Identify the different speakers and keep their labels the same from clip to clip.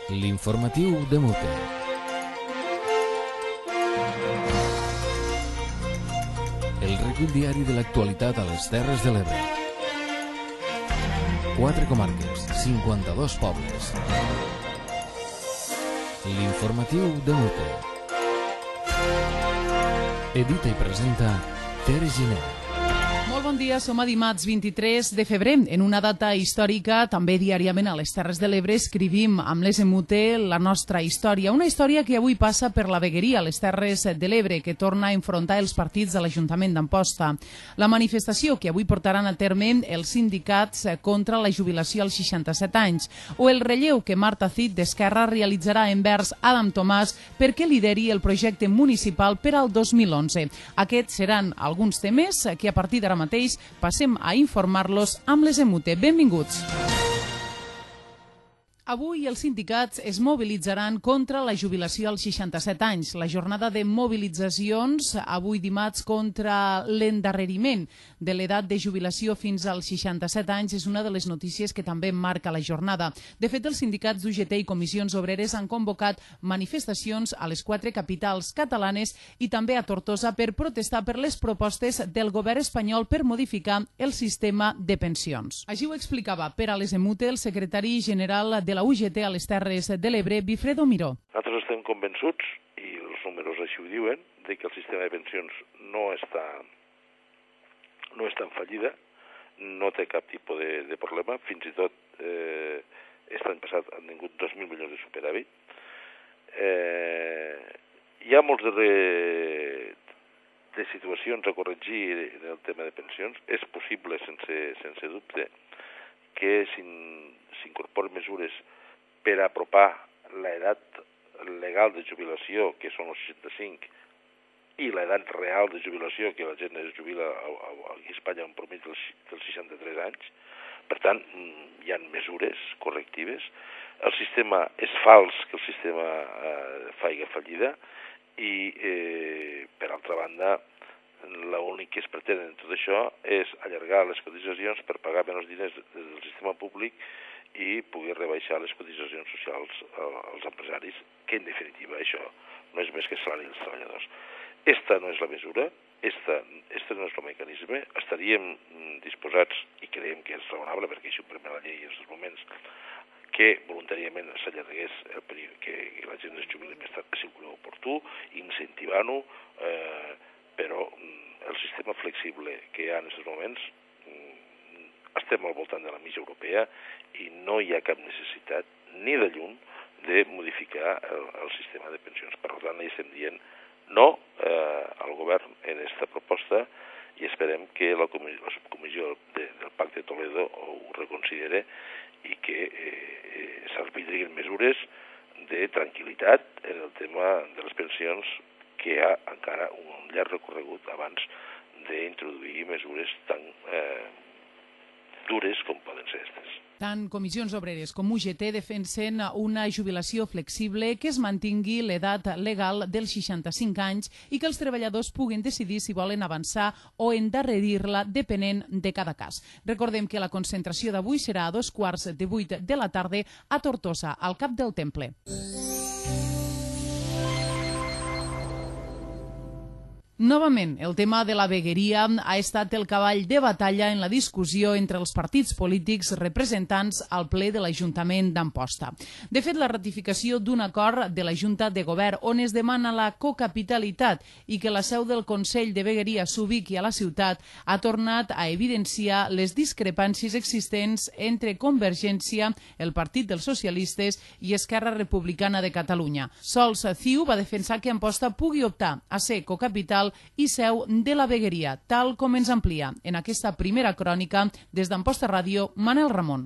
Speaker 1: L'informatiu de Mute. El recull diari de l'actualitat a les Terres de l'Ebre. 4 comarques, 52 pobles. L'informatiu de Mute. Edita i presenta Tere Giner.
Speaker 2: Molt bon dia, som a dimarts 23 de febrer. En una data històrica, també diàriament a les Terres de l'Ebre, escrivim amb les Mute la nostra història. Una història que avui passa per la vegueria a les Terres de l'Ebre, que torna a enfrontar els partits de l'Ajuntament d'Amposta. La manifestació que avui portaran a terme els sindicats contra la jubilació als 67 anys, o el relleu que Marta Cid d'Esquerra realitzarà envers Adam Tomàs perquè lideri el projecte municipal per al 2011. Aquests seran alguns temes que a partir d'ara mateix passem a informar-los amb les Mute. Benvinguts. Avui els sindicats es mobilitzaran contra la jubilació als 67 anys. La jornada de mobilitzacions avui dimarts contra l'endarreriment de l'edat de jubilació fins als 67 anys és una de les notícies que també marca la jornada. De fet, els sindicats d'UGT i comissions obreres han convocat manifestacions a les 4 capitals catalanes i també a Tortosa per protestar per les propostes del govern espanyol per modificar el sistema de pensions. Així ho explicava per a les Mute el secretari general de la UGT a les Terres de l'Ebre, Bifredo Miró.
Speaker 3: Nosaltres estem convençuts, i els números així ho diuen, de que el sistema de pensions no està en fallida, no té cap tipus de problema, fins i tot l'any passat han tingut 2.000 milions de superàvit. Hi ha molts de situacions a corregir en el tema de pensions. És possible, sense dubte, que s'incorporen mesures per apropar l'edat legal de jubilació, que són els 65, i l'edat real de jubilació, que la gent es jubila a Espanya en promís dels 63 anys. Per tant, hi ha mesures correctives. El sistema és fals que el sistema faci fallida i, per altra banda, l'únic que es pretén en tot això és allargar les cotitzacions per pagar menys diners del sistema públic i poder rebaixar les cotitzacions socials als empresaris, que en definitiva això no és més que salari dels treballadors. Esta no és la mesura, esta no és el mecanisme. Estaríem disposats, i creiem que és raonable, perquè això ho permet la llei en aquests moments, que voluntàriament s'allargués el període, que la gent es jubili més tard, si ho creu oportú, incentivant-ho, però el sistema flexible que hi ha en aquests moments estem al voltant de la mitja europea i no hi ha cap necessitat ni de llum de modificar el sistema de pensions. Per tant, estem dient no al govern en aquesta proposta i esperem que la subcomissió del Pacte de Toledo ho reconsidere i que s'arbitrin mesures de tranquil·litat en el tema de les pensions, que hi ha encara un llarg recorregut abans d'introduir mesures tan dures com poden ser aquestes.
Speaker 2: Tant comissions obreres com UGT defensen una jubilació flexible, que es mantingui l'edat legal dels 65 anys i que els treballadors puguin decidir si volen avançar o endarrerir-la depenent de cada cas. Recordem que la concentració d'avui serà a 7:15 de la tarda a Tortosa, al Cap del Temple. Novament, el tema de la vegueria ha estat el cavall de batalla en la discussió entre els partits polítics representants al ple de l'Ajuntament d'Amposta. De fet, la ratificació d'un acord de la Junta de Govern on es demana la cocapitalitat i que la seu del Consell de Vegueria s'ubiqui a la ciutat ha tornat a evidenciar les discrepàncies existents entre Convergència, el Partit dels Socialistes i Esquerra Republicana de Catalunya. Sols CiU va defensar que Amposta pugui optar a ser cocapital i seu de la vegueria, tal com ens amplia en aquesta primera crònica des d'Amposta Ràdio, Manel Ramon.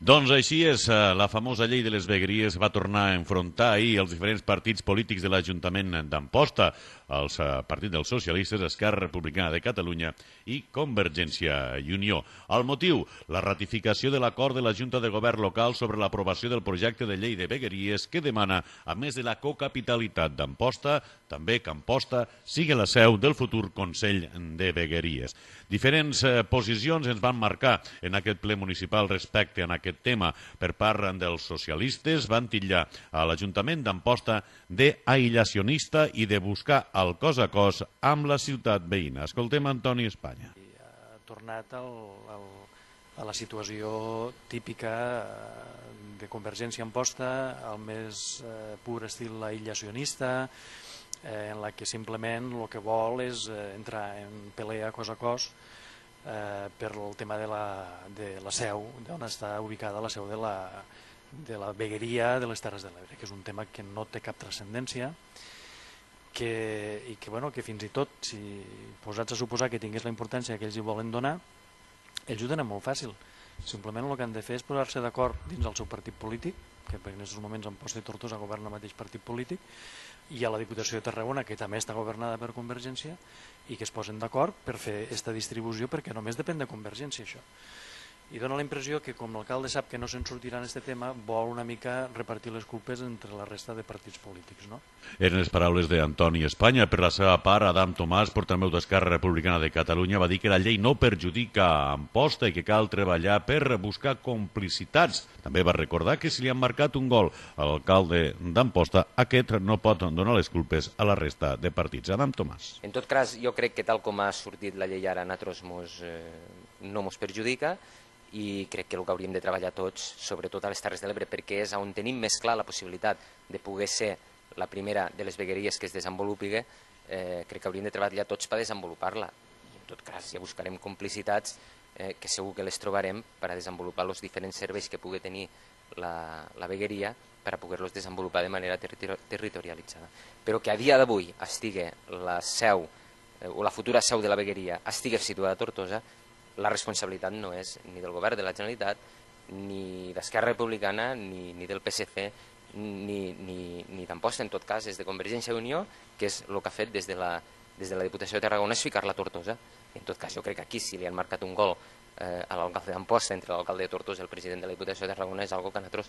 Speaker 4: Doncs així és, la famosa llei de les vegueries va tornar a enfrontar ahir els diferents partits polítics de l'Ajuntament d'Amposta. els partits dels socialistes, Esquerra Republicana de Catalunya i Convergència i Unió. El motiu, la ratificació de l'acord de la Junta de Govern local sobre l'aprovació del projecte de llei de vegueries que demana, a més de la cocapitalitat d'Amposta, també que Amposta sigui la seu del futur Consell de Vegueries. Diferents posicions ens van marcar en aquest ple municipal respecte a aquest tema. Per part dels socialistes van titllar a l'Ajuntament d'Amposta d'aïllacionista i de buscar el cos a cos amb la ciutat veïna. Escoltem Antoni Espanya.
Speaker 5: Ha tornat a la situació típica de Convergència a Amposta, al més pur estil aïllacionista, en la que simplement el que vol és entrar en pelea cos a cos per el tema de la seu, d'on està ubicada la seu de la vegueria de les Terres de l'Ebre, que és un tema que no té cap transcendència i que fins i tot, si posats a suposar que tingués la importància que ells hi volen donar, ells ho tenen molt fàcil. Simplement el que han de fer és posar-se d'acord dins del seu partit polític, que en aquests moments Amposta i Tortosa governa el mateix partit polític, i a la Diputació de Tarragona, que també està governada per Convergència, i que es posen d'acord per fer aquesta distribució, perquè només depèn de Convergència, això. I dona la impressió que, com l'alcalde sap que no se'n sortirà en aquest tema, vol una mica repartir les culpes entre la resta de partits polítics, no?
Speaker 4: Eren les paraules d'Antoni Espanya. Per la seva part, Adam Tomàs, portaveu d'Esquerra Republicana de Catalunya, va dir que la llei no perjudica Amposta i que cal treballar per buscar complicitats. També va recordar que si li han marcat un gol a l'alcalde d'Amposta, aquest no pot donar les culpes a la resta de partits. Adam Tomàs.
Speaker 6: En tot cas, jo crec que tal com ha sortit la llei ara, a nosaltres no ens perjudica, i crec que el que hauríem de treballar tots, sobretot a les Terres de l'Ebre, perquè és on tenim més clar la possibilitat de poder ser la primera de les vegueries que es desenvolupi, crec que hauríem de treballar tots per desenvolupar-la. I en tot cas ja buscarem complicitats que segur que les trobarem per a desenvolupar els diferents serveis que pugui tenir la vegueria per a poder-los desenvolupar de manera territorialitzada. Però que a dia d'avui estigui la seu o la futura seu de la vegueria estigui situada a Tortosa, la responsabilitat no és ni del govern de la Generalitat, ni d'Esquerra Republicana, ni del PSC, ni d'Amposta, en tot cas, és de Convergència i Unió, que és el que ha fet des de la Diputació de Tarragona, és ficar-la a Tortosa. En tot cas, jo crec que aquí, si li han marcat un gol a l'alcalde d'Amposta entre l'alcalde de Tortosa i el president de la Diputació de Tarragona, és una cosa que a nosaltres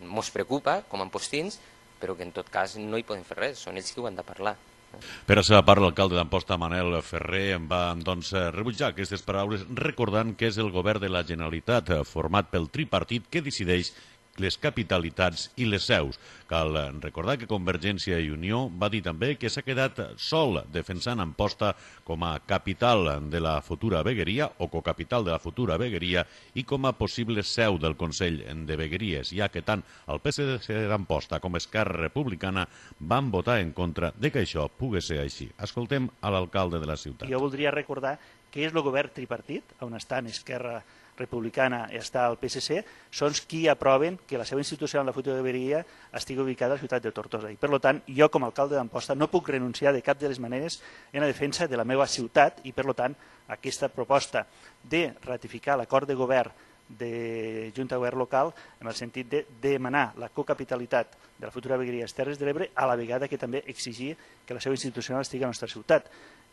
Speaker 6: ens preocupa, com a ampostins, però que en tot cas no hi podem fer res, són ells qui ho han de parlar.
Speaker 4: Per la seva part, l'alcalde d'Amposta, Manel Ferrer, va rebutjar aquestes paraules recordant que és el govern de la Generalitat format pel tripartit que decideix les capitalitats i les seus. Cal recordar que Convergència i Unió va dir també que s'ha quedat sol defensant Amposta com a capital de la futura vegueria o cocapital de la futura vegueria i com a possible seu del Consell de Vegueries, ja que tant el PSC d'Amposta com Esquerra Republicana van votar en contra de que això pogués ser així. Escoltem a l'alcalde de la ciutat.
Speaker 7: Jo voldria recordar que és el govern tripartit, on estan Esquerra Republicana i està el PSC, són qui aproven que la seva institució en la futura vegueria estigui ubicada a la ciutat de Tortosa. I, per tant, jo, com a alcalde d'Amposta, no puc renunciar de cap de les maneres en la defensa de la meva ciutat i, per tant, aquesta proposta de ratificar l'acord de govern de Junta de Govern local en el sentit de demanar la cocapitalitat de la futura vegueria de les Terres de l'Ebre a la vegada que també exigir que la seu institucional estigui a la nostra ciutat.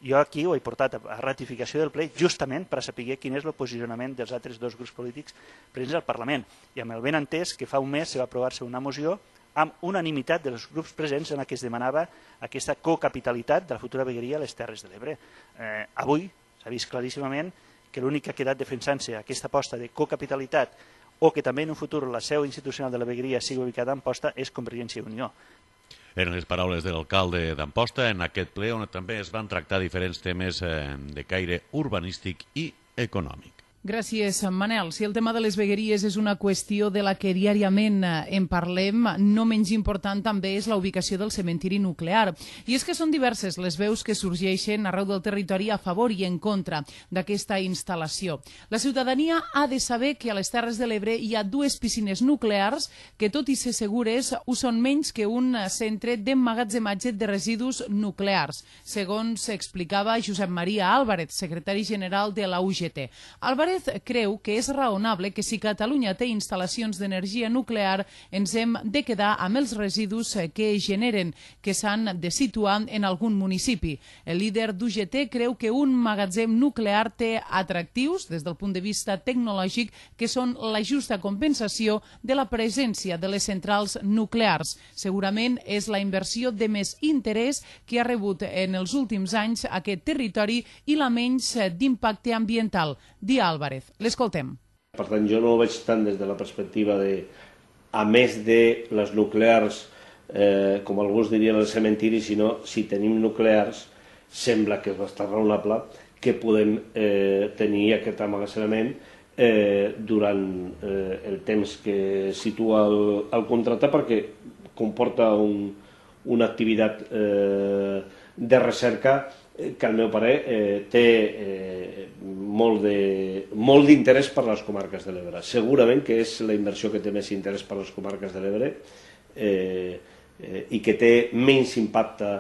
Speaker 7: Jo aquí ho he portat a ratificació del ple justament per a saber quin és el posicionament dels altres dos grups polítics presents al Parlament. I amb el ben entès que fa un mes va aprovar-se una moció amb unanimitat dels grups presents en què es demanava aquesta cocapitalitat de la futura vegueria a les Terres de l'Ebre. Avui s'ha vist claríssimament que l'únic que ha quedat defensant-se aquesta aposta de cocapitalitat o que també en un futur la seu institucional de la vegueria sigui ubicada a Amposta és Convergència i Unió.
Speaker 4: Eren les paraules de l'alcalde d'Amposta en aquest ple on també es van tractar diferents temes de caire urbanístic i econòmic.
Speaker 2: Gràcies, Manel. Si el tema de les vegueries és una qüestió de la que diàriament en parlem, no menys important també és la ubicació del cementiri nuclear. I és que són diverses les veus que sorgeixen arreu del territori a favor i en contra d'aquesta instal·lació. La ciutadania ha de saber que a les Terres de l'Ebre hi ha 2 piscines nuclears que, tot i ser segures, ho són menys que un centre d'emmagatzematge de residus nuclears, segons explicava Josep Maria Álvarez, secretari general de la UGT. Álvarez Álvarez creu que és raonable que si Catalunya té instal·lacions d'energia nuclear ens hem de quedar amb els residus que generen, que s'han de situar en algun municipi. El líder d'UGT creu que un magatzem nuclear té atractius des del punt de vista tecnològic que són la justa compensació de la presència de les centrals nuclears. Segurament és la inversió de més interès que ha rebut en els últims anys aquest territori i la menys d'impacte ambiental. Di Álvarez. L'escoltem.
Speaker 8: Per tant, jo no ho veig tant des de la perspectiva de, a més de les nuclears, com alguns dirien el cementiri, sinó si tenim nuclears, sembla que és bastant raonable que podem tenir aquest emmagatzemament durant el temps que situa el contracte, perquè comporta una activitat de recerca que al meu parer té molt d'interès per a les comarques de l'Ebre. Segurament que és la inversió que té més interès per a les comarques de l'Ebre i que té menys impacte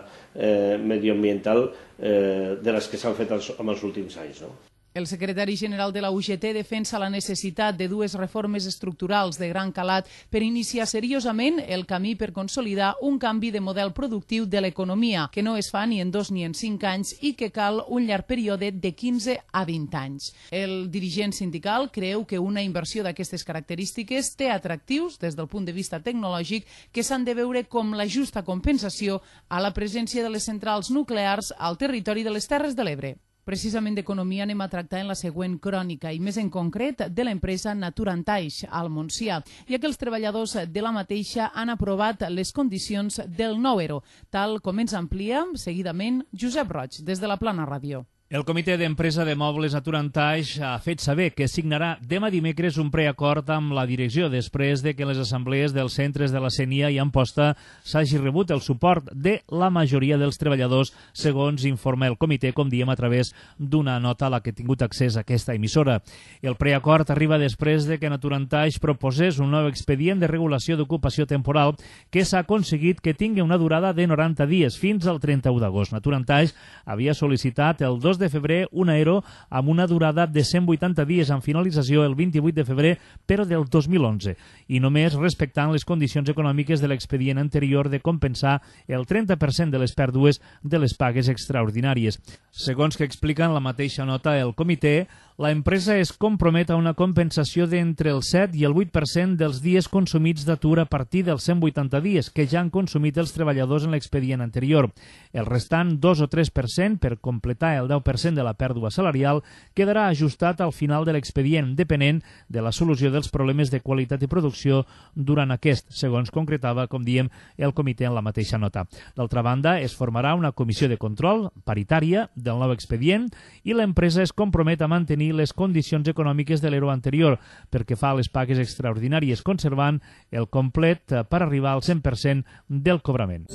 Speaker 8: medioambiental de les que s'han fet en els últims anys, no?
Speaker 2: El secretari general de la UGT defensa la necessitat de dues reformes estructurals de gran calat per iniciar seriosament el camí per consolidar un canvi de model productiu de l'economia, que no es fa ni en 2 ni en 5 anys i que cal un llarg període de 15 a 20 anys. El dirigent sindical creu que una inversió d'aquestes característiques té atractius des del punt de vista tecnològic que s'han de veure com la justa compensació a la presència de les centrals nuclears al territori de les Terres de l'Ebre. Precisament d'economia anem a tractar en la següent crònica i més en concret de l'empresa Naturantaix al Montsià, ja que els treballadors de la mateixa han aprovat les condicions del nou ERO, tal com ens amplia seguidament Josep Roig des de la Plana Ràdio.
Speaker 9: El comitè d'empresa de mobles Naturantaix ha fet saber que signarà demà dimecres un preacord amb la direcció després de que les assemblees dels centres de la CENIA i Amposta s'hagi rebut el suport de la majoria dels treballadors, segons informa el comitè, com diem a través d'una nota a la que ha tingut accés a aquesta emissora. El preacord arriba després de que Naturantaix proposés un nou expedient de regulació d'ocupació temporal que s'ha aconseguit que tingui una durada de 90 dies, fins al 31 d'agost. Naturantaix havia sol·licitat el 2 de febrer un ERO amb una durada de 180 dies amb finalització el 28 de febrer, però del 2011, i només respectant les condicions econòmiques de l'expedient anterior de compensar el 30% de les pèrdues de les pagues extraordinàries. Segons que explica en la mateixa nota el comitè, la empresa es compromet a una compensació d'entre el 7 i el 8% dels dies consumits d'atur a partir dels 180 dies que ja han consumit els treballadors en l'expedient anterior. El restant 2 o 3% per completar el 10% de la pèrdua salarial quedarà ajustat al final de l'expedient, depenent de la solució dels problemes de qualitat i producció durant aquest, segons concretava, com diem, el comitè en la mateixa nota. D'altra banda, es formarà una comissió de control paritària del nou expedient i l'empresa es compromet a mantenir les condicions econòmiques de l'ERO anterior perquè fa les pagues extraordinàries, conservant el complet per arribar al 100% del cobrament.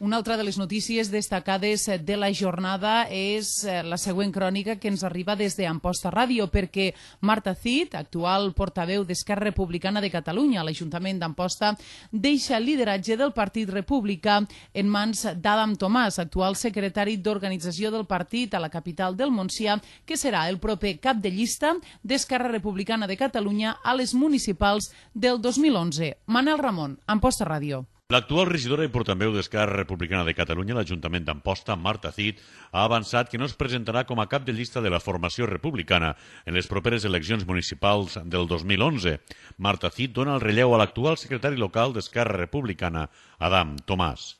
Speaker 2: Una altra de les notícies destacades de la jornada és la següent crònica que ens arriba des d'Amposta Ràdio, perquè Marta Cid, actual portaveu d'Esquerra Republicana de Catalunya a l'Ajuntament d'Amposta, deixa el lideratge del Partit Republicà en mans d'Adam Tomàs, actual secretari d'organització del partit a la capital del Montsià, que serà el proper cap de llista d'Esquerra Republicana de Catalunya a les municipals del 2011. Manel Ramon, Amposta Ràdio.
Speaker 4: L'actual regidora i portaveu d'Esquerra Republicana de Catalunya a l'Ajuntament d'Amposta, Marta Cid, ha avançat que no es presentarà com a cap de llista de la formació republicana en les properes eleccions municipals del 2011. Marta Cid dona el relleu a l'actual secretari local d'Esquerra Republicana, Adam Tomàs.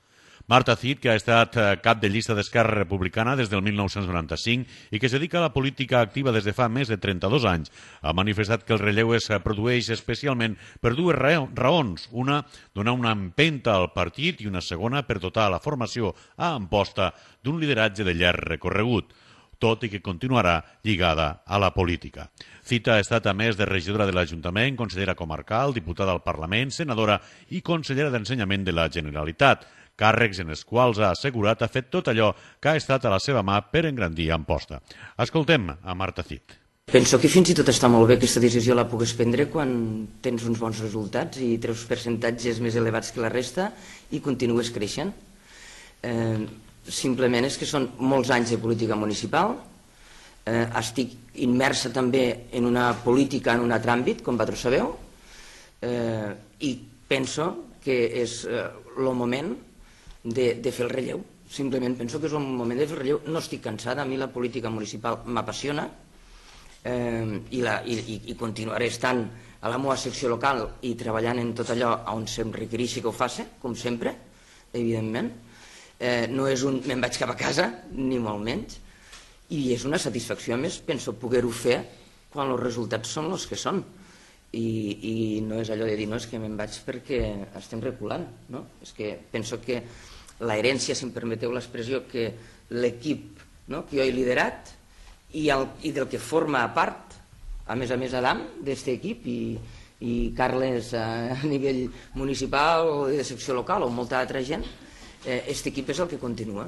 Speaker 4: Marta Cid, que ha estat cap de llista d'Esquerra Republicana des del 1995 i que es dedica a la política activa des de fa més de 32 anys, ha manifestat que el relleu es produeix especialment per dues raons. Una, donar una empenta al partit, i una segona, per dotar la formació a Amposta d'un lideratge de llarg recorregut, tot i que continuarà lligada a la política. Cid ha estat, a més de regidora de l'Ajuntament, consellera comarcal, diputada al Parlament, senadora i consellera d'Ensenyament de la Generalitat, càrrecs en els quals ha assegurat ha fet tot allò que ha estat a la seva mà per engrandir Amposta. Escoltem a Marta Cid.
Speaker 10: Penso que fins i tot està molt bé aquesta decisió la pugues prendre quan tens uns bons resultats i treus percentatges més elevats que la resta i continues creixent. simplement és que són molts anys de política municipal, estic immersa també en una política en un altre àmbit, com vosaltres sabeu, i penso que és el moment de fer el relleu. Simplement penso que és un moment de fer el relleu. No estic cansada, a mi la política municipal m'apassiona i continuaré estant a la meva secció local i treballant en tot allò on se'm requereixi que ho faci, com sempre, evidentment. No és un me'n vaig cap a casa, ni molt menys, i és una satisfacció, a més, penso poder-ho fer quan els resultats són els que són. I no és allò de dir, no, és que me'n vaig perquè estem reculant, no? És que penso que l'herència, si em permeteu l'expressió, que l'equip que jo he liderat i del que forma a part, a més Adam, d'aquest equip, i Carles a nivell municipal o de secció local o molta altra gent, aquest equip és el que continua.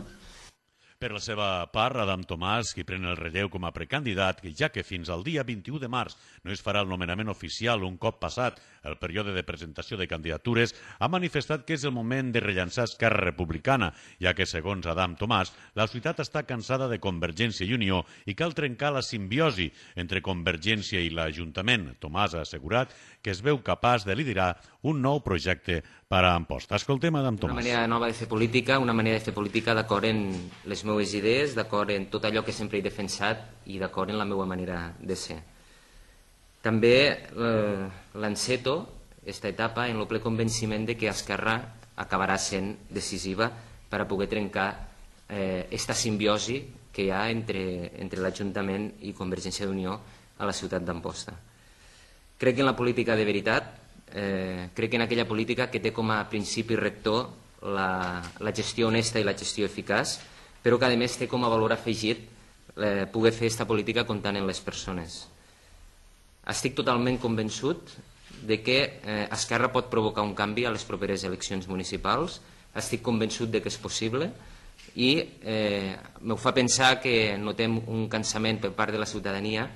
Speaker 4: Per la seva part, Adam Tomàs, qui pren el relleu com a precandidat, ja que fins al dia 21 de març no es farà el nomenament oficial un cop passat el període de presentació de candidatures, ha manifestat que és el moment de rellançar Esquerra Republicana, ja que, segons Adam Tomàs, la ciutat està cansada de Convergència i Unió i cal trencar la simbiosi entre Convergència i l'Ajuntament. Tomàs ha assegurat que es veu capaç de liderar un nou projecte per a Amposta. Escoltem Adam Tomàs.
Speaker 6: Una manera nova de fer política, una manera de fer política d'acord en les meves idees, d'acord en tot allò que sempre he defensat i d'acord en la meva manera de ser. També l'enceto, aquesta etapa, en el ple convenciment de que Esquerra acabarà sent decisiva per a poder trencar aquesta simbiosi que hi ha entre l'Ajuntament i Convergència d'Unió a la ciutat d'Amposta. Crec en la política de veritat, crec en aquella política que té com a principi rector la gestió honesta i la gestió eficaç, però que a més té com a valor afegit poder fer aquesta política comptant en les persones. Estic totalment convençut de que Esquerra pot provocar un canvi a les properes eleccions municipals, estic convençut de que és possible i m'ho fa pensar que notem un cansament per part de la ciutadania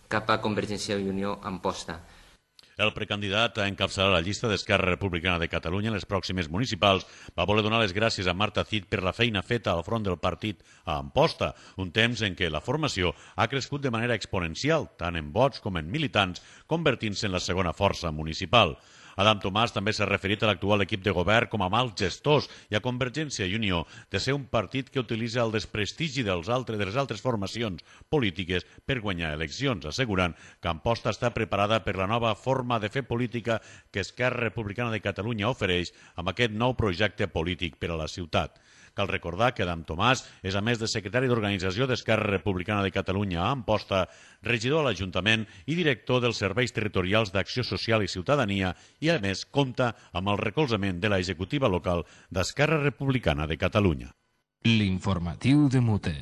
Speaker 6: cap a Convergència i Unió a Amposta.
Speaker 4: El precandidat a encapçalar la llista d'Esquerra Republicana de Catalunya en les pròximes municipals va voler donar les gràcies a Marta Cid per la feina feta al front del partit a Amposta, un temps en què la formació ha crescut de manera exponencial, tant en vots com en militants, convertint-se en la segona força municipal. Adam Tomàs també s'ha referit a l'actual equip de govern com a mals gestors i a Convergència i Unió de ser un partit que utilitza el desprestigi de les altres formacions polítiques per guanyar eleccions, assegurant que Amposta està preparada per la nova forma de fer política que Esquerra Republicana de Catalunya ofereix amb aquest nou projecte polític per a la ciutat. Cal recordar que Adam Tomàs és, a més de secretari d'Organització d'Esquerra Republicana de Catalunya a Amposta, regidor a l'Ajuntament i director dels Serveis Territorials d'Acció Social i Ciutadania i, a més, compta amb el recolzament de la executiva local d'Esquerra Republicana de Catalunya.
Speaker 1: L'informatiu de Mute.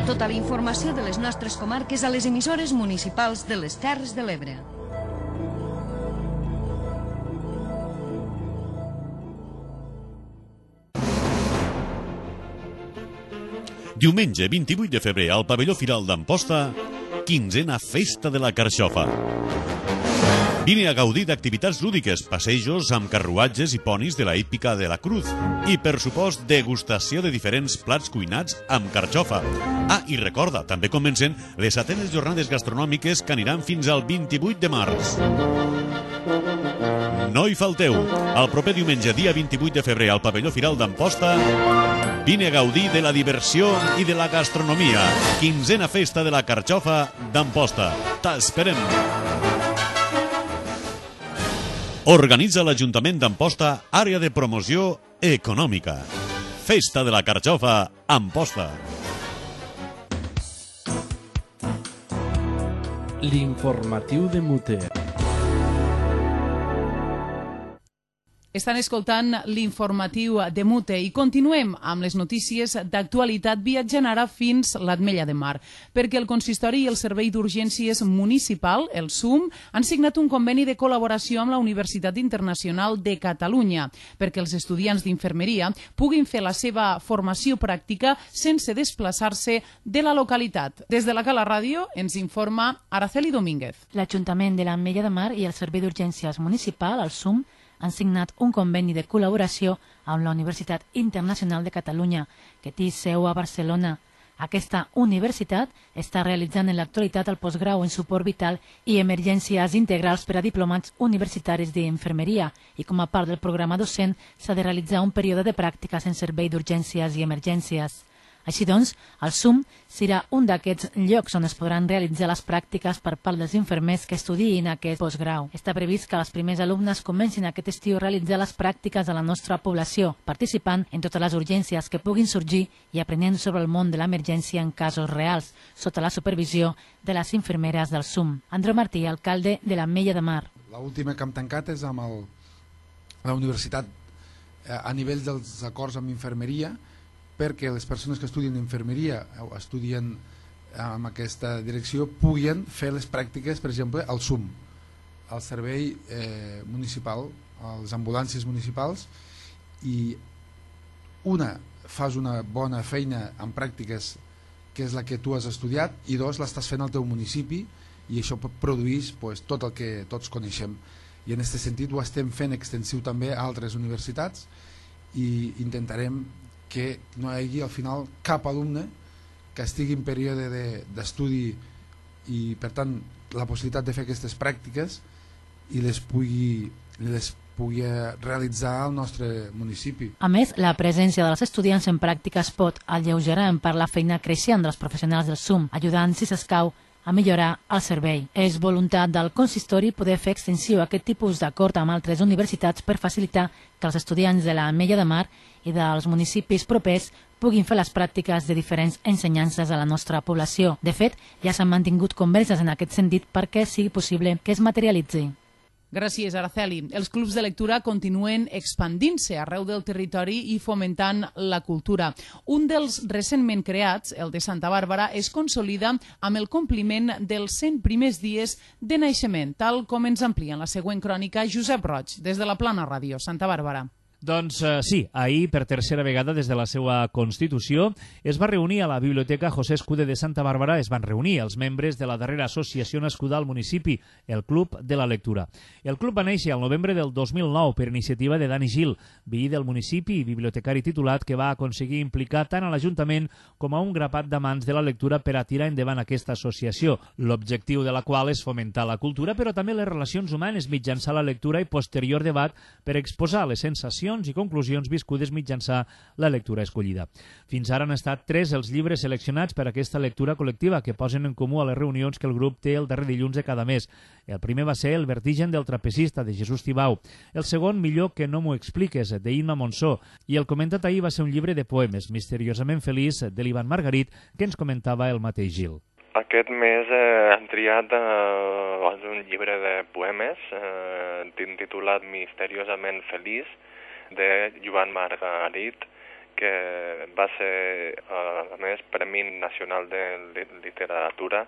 Speaker 11: Tota la informació de les nostres comarques a les emissores municipals de les Terres de l'Ebre.
Speaker 4: Diumenge 28 de febrer al pavelló Firal d'Amposta, 15a Festa de la Carxofa. Vine a gaudir d'activitats lúdiques, passejos amb carruatges i ponis de la hípica de la Cruz i, per supost, degustació de diferents plats cuinats amb carxofa. I recorda, també comencen les 7enes jornades gastronòmiques que aniran fins al 28 de març. No hi falteu. El proper diumenge, dia 28 de febrer, al pavelló Firal d'Amposta, vine a gaudir de la diversió i de la gastronomia. 15a Festa de la Carxofa d'Amposta. T'esperem! Organitza l'Ajuntament d'Amposta, àrea de promoció econòmica. Festa de la Carxofa, Amposta.
Speaker 1: L'informatiu de Mute.
Speaker 2: Estan escoltant l'informatiu de Mute i continuem amb les notícies d'actualitat viatjant ara fins l'Ametlla de Mar, perquè el Consistori i el Servei d'Urgències Municipal, el SUM, han signat un conveni de col·laboració amb la Universitat Internacional de Catalunya perquè els estudiants d'infermeria puguin fer la seva formació pràctica sense desplaçar-se de la localitat. Des de la Cala Ràdio ens informa Araceli Domínguez.
Speaker 12: L'Ajuntament de l'Ametlla de Mar i el Servei d'Urgències Municipal, el SUM, han signat un conveni de col·laboració amb la Universitat Internacional de Catalunya, que té seu a Barcelona. Aquesta universitat està realitzant en l'actualitat el postgrau en suport vital i emergències integrals per a diplomats universitaris d'infermeria i com a part del programa docent s'ha de realitzar un període de pràctiques en servei d'urgències i emergències. Així doncs, el SUM serà un d'aquests llocs on es podran realitzar les pràctiques per part dels infermers que estudiïn aquest postgrau. Està previst que els primers alumnes comencin aquest estiu a realitzar les pràctiques a la nostra població, participant en totes les urgències que puguin sorgir i aprenent sobre el món de l'emergència en casos reals, sota la supervisió de les infermeres del SUM. Andreu Martí, alcalde de l'Ametlla de Mar.
Speaker 13: L'última que hem tancat és amb la universitat a nivell dels acords amb infermeria, perquè les persones que estudien infermeria o estudien en aquesta direcció puguin fer les pràctiques, per exemple, al SUM, al servei municipal, a les ambulàncies municipals, i fas una bona feina en pràctiques, que és la que tu has estudiat, i dos, l'estàs fent al teu municipi, i això produeix tot el que tots coneixem. I en aquest sentit ho estem fent extensiu també a altres universitats i intentarem que no hi hagi al final cap alumne que estigui en període d'estudi i per tant la possibilitat de fer aquestes pràctiques i les pugui realitzar al nostre municipi.
Speaker 12: A més, la presència dels estudiants en pràctiques pot alleugerar en part la feina creixent dels professionals del SUM, ajudant, si s'escau, a millorar el servei. És voluntat del consistori poder fer extensiu aquest tipus d'acord amb altres universitats per facilitar que els estudiants de l'Ametlla de Mar i dels municipis propers puguin fer les pràctiques de diferents ensenyances a la nostra població. De fet, ja s'han mantingut converses en aquest sentit perquè sigui possible que es materialitzi.
Speaker 2: Gràcies, Araceli. Els clubs de lectura continuen expandint-se arreu del territori i fomentant la cultura. Un dels recentment creats, el de Santa Bàrbara, es consolida amb el compliment dels 100 primers dies de naixement, tal com ens amplia en la següent crònica Josep Roig, des de la Plana Ràdio, Santa Bàrbara.
Speaker 9: Doncs sí, ahir, per tercera vegada des de la seva Constitució, es va reunir a la Biblioteca José Escuder de Santa Bàrbara, es van reunir els membres de la darrera associació nascuda al municipi, el Club de la Lectura. El club va néixer al novembre del 2009 per iniciativa de Dani Gil, veí del municipi i bibliotecari titulat que va aconseguir implicar tant a l'Ajuntament com a un grapat d'amants de la lectura per a tirar endavant aquesta associació, l'objectiu de la qual és fomentar la cultura però també les relacions humanes mitjançant la lectura i posterior debat per exposar les sensacions i conclusions viscudes mitjançant la lectura escollida. Fins ara han estat 3 els llibres seleccionats per a aquesta lectura col·lectiva que posen en comú a les reunions que el grup té el darrer dilluns de cada mes. El primer va ser El vertigen del trapecista, de Jesús Tibau. El segon, Millor que no m'ho expliques, de Imma Monsó. I el comentat ahir va ser un llibre de poemes, Misteriosament feliç, de l'Ivan Margarit, que ens comentava el mateix Gil.
Speaker 14: Aquest mes hem triat un llibre de poemes titulat Misteriosament feliç, de Joan Margarit, que va ser, a més, Premi Nacional de Literatura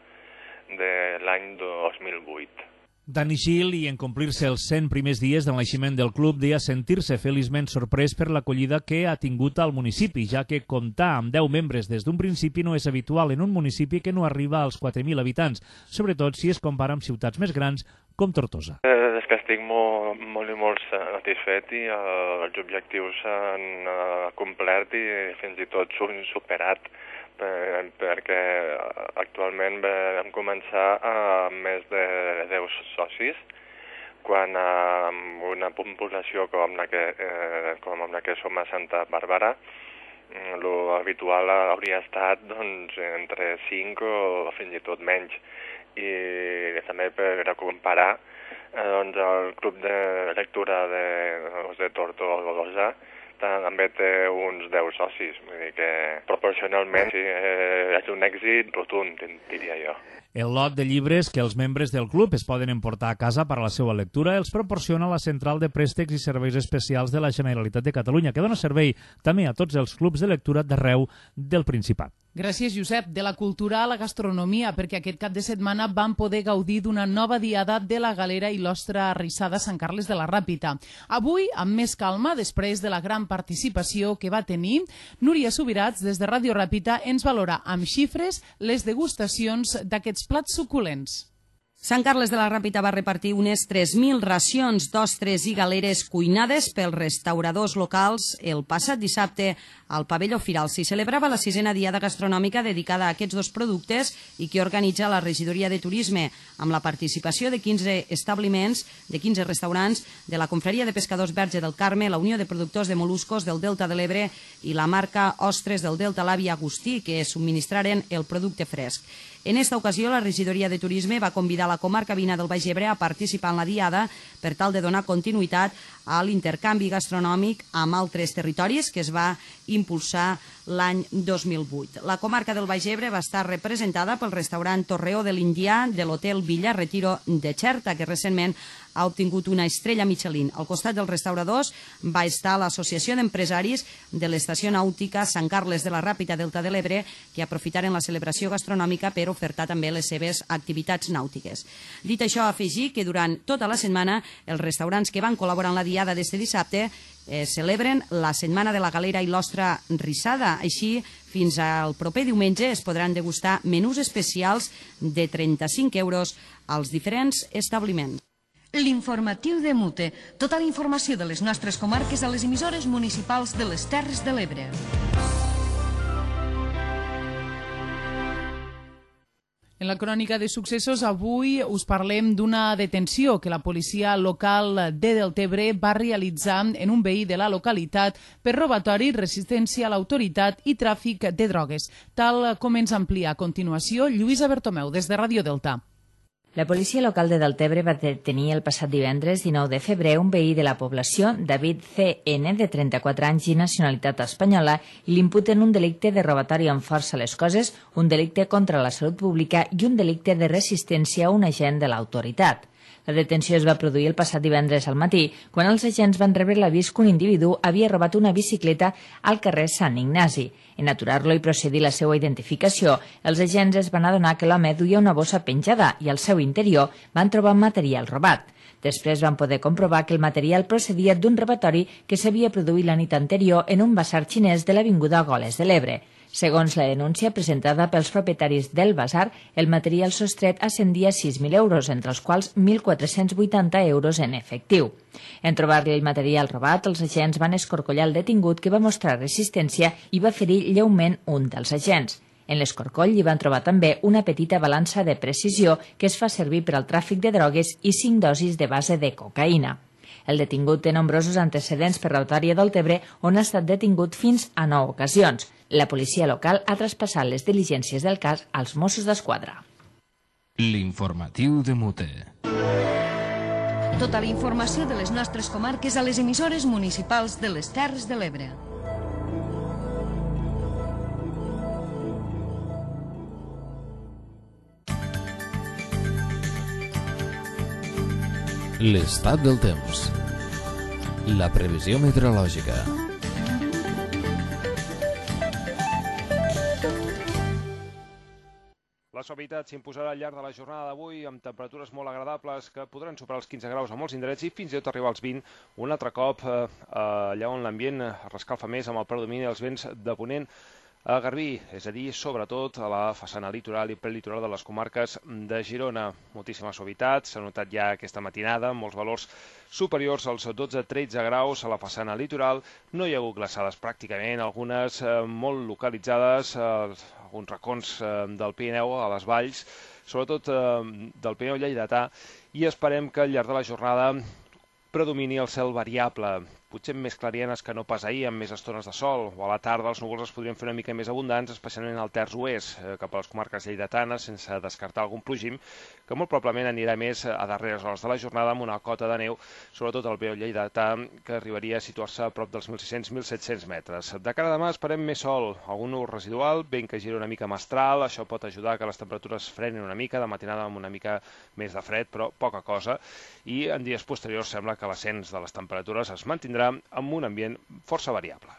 Speaker 14: de l'any 2008.
Speaker 9: Dani Gil, i en complir-se els 100 primers dies del naixement del club, deia sentir-se feliçment sorprès per l'acollida que ha tingut al municipi, ja que comptar amb 10 membres des d'un principi no és habitual en un municipi que no arriba als 4.000 habitants, sobretot si es compara amb ciutats més grans com Tortosa.
Speaker 14: És que estic molt satisfet i els objectius s'han complert i fins i tot s'han superat, perquè actualment vam començar amb més de 10 socis, quan amb una població com la que som a Santa Bàrbara, l'habitual hauria estat entre 5 o fins i tot menys. I també per comparar, el Club de Lectura de Tortosa també té uns 10 socis, vull dir que proporcionalment sí, és un èxit rotund, diria jo.
Speaker 9: El lot de llibres que els membres del club es poden emportar a casa per a la seva lectura els proporciona la Central de Préstecs i Serveis Especials de la Generalitat de Catalunya, que dona servei també a tots els clubs de lectura d'arreu del Principat.
Speaker 2: Gràcies, Josep. De la cultura a la gastronomia, perquè aquest cap de setmana vam poder gaudir d'una nova diada de la Galera i l'Ostra Arrissada Sant Carles de la Ràpita. Avui, amb més calma, després de la gran participació que va tenir, Núria Subirats, des de Ràdio Ràpita, ens valora amb xifres les degustacions d'aquests plats suculents.
Speaker 15: Sant Carles de la Ràpita va repartir unes 3.000 racions d'ostres i galeres cuinades pels restauradors locals el passat dissabte al pavelló Firal. S'hi celebrava la 6a diada gastronòmica dedicada a aquests dos productes i que organitza la Regidoria de Turisme, amb la participació de 15 establiments, de 15 restaurants, de la Confraria de Pescadors Verge del Carme, la Unió de Productors de Moluscos del Delta de l'Ebre i la marca Ostres del Delta l'Avi Agustí, que subministraren el producte fresc. En esta ocasió, la Regidoria de Turisme va convidar la comarca veïna del Baix Ebre a participar en la diada per tal de donar continuïtat a l'intercanvi gastronòmic amb altres territoris que es va impulsar l'any 2008. La comarca del Baix Ebre va estar representada pel restaurant Torreó de l'Indià de l'Hotel Villa Retiro de Xerta, que recentment ha obtingut una estrella Michelin. Al costat dels restauradors va estar l'Associació d'Empresaris de l'Estació Nàutica Sant Carles de la Ràpita Delta de l'Ebre, que aprofitaren la celebració gastronòmica per ofertar també les seves activitats nàutiques. Dit això, afegir que durant tota la setmana els restaurants que van col·laborar en la diada d'este dissabte celebren la Setmana de la Galera i l'Ostra Rissada. Així, fins al proper diumenge es podran degustar menús especials de 35 euros als diferents establiments.
Speaker 11: L'informatiu de Mute. Tota la informació de les nostres comarques a les emissores municipals de les Terres de l'Ebre.
Speaker 2: En la crònica de successos avui us parlem d'una detenció que la policia local de Deltebre va realitzar en un veí de la localitat per robatori, resistència a l'autoritat i tràfic de drogues. Tal com ens amplia a continuació Lluïsa Bertomeu des de Ràdio Delta.
Speaker 16: La policia local de Deltebre va detenir el passat divendres 19 de febrer un veí de la població, David C.N., de 34 anys i nacionalitat espanyola, i l'imputen un delicte de robatori amb força a les coses, un delicte contra la salut pública i un delicte de resistència a un agent de l'autoritat. La detenció es va produir el passat divendres al matí, quan els agents van rebre l'avís que un individu havia robat una bicicleta al carrer Sant Ignasi. En aturar-lo i procedir la seva identificació, els agents es van adonar que l'home duia una bossa penjada i al seu interior van trobar material robat. Després van poder comprovar que el material procedia d'un robatori que s'havia produït la nit anterior en un basar xinès de l'avinguda Goles de l'Ebre. Segons la denúncia presentada pels propietaris del basar, el material sostret ascendia a 6.000 euros, entre els quals 1.480 euros en efectiu. En trobar-li el material robat, els agents van escorcollar el detingut, que va mostrar resistència i va ferir lleument un dels agents. En l'escorcoll hi van trobar també una petita balança de precisió que es fa servir per al tràfic de drogues i 5 dosis de base de cocaïna. El detingut té nombrosos antecedents per robatori a Deltebre, on ha estat detingut fins a 9 ocasions. La policia local ha traspassat les diligències del cas als Mossos d'Esquadra.
Speaker 1: L'informatiu de Mute.
Speaker 11: Tota la informació de les nostres comarques a les emissores municipals de les Terres de l'Ebre.
Speaker 1: L'estat del temps. La previsió meteorològica.
Speaker 17: La suavitat s'imposarà al llarg de la jornada d'avui amb temperatures molt agradables que podran superar els 15 graus a molts indrets i fins i tot arribar als 20 un altre cop allà on l'ambient es rescalfa més amb el predomini dels vents de ponent a Garbí, és a dir, sobretot a la façana litoral i prelitoral de les comarques de Girona. Moltíssima suavitat, s'ha notat ja aquesta matinada, molts valors superiors als 12-13 graus a la façana litoral. No hi ha hagut glaçades pràcticament, algunes molt localitzades, alguns racons del Pirineu, a les valls, sobretot del Pirineu lleidatà, i esperem que al llarg de la jornada predomini el cel variable, potser més clarienes que no pas ahir, amb més estones de sol, o a la tarda els núvols es podrien fer una mica més abundants, especialment al terç oest, cap a les comarques lleidatanes, sense descartar algun plogim, que molt probablement anirà més a darreres hores de la jornada amb una cota de neu, sobretot al Pirineu lleidatà, que arribaria a situar-se a prop dels 1.600-1.700 metres. De cara a demà esperem més sol, algun núvol residual, vent que gira una mica mestral, això pot ajudar que les temperatures frenin una mica, de matinada amb una mica més de fred, però poca cosa, i en dies posteriors sembla que l'ascens de les temperatures es mantindrà amb un ambient força variable.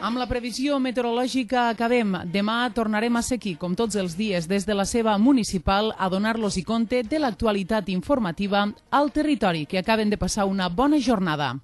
Speaker 2: Amb la previsió meteorològica acabem. Demà tornarem a ser aquí, com tots els dies, des de la seva municipal, a donar-los compte de l'actualitat informativa al territori. Que acaben de passar una bona jornada.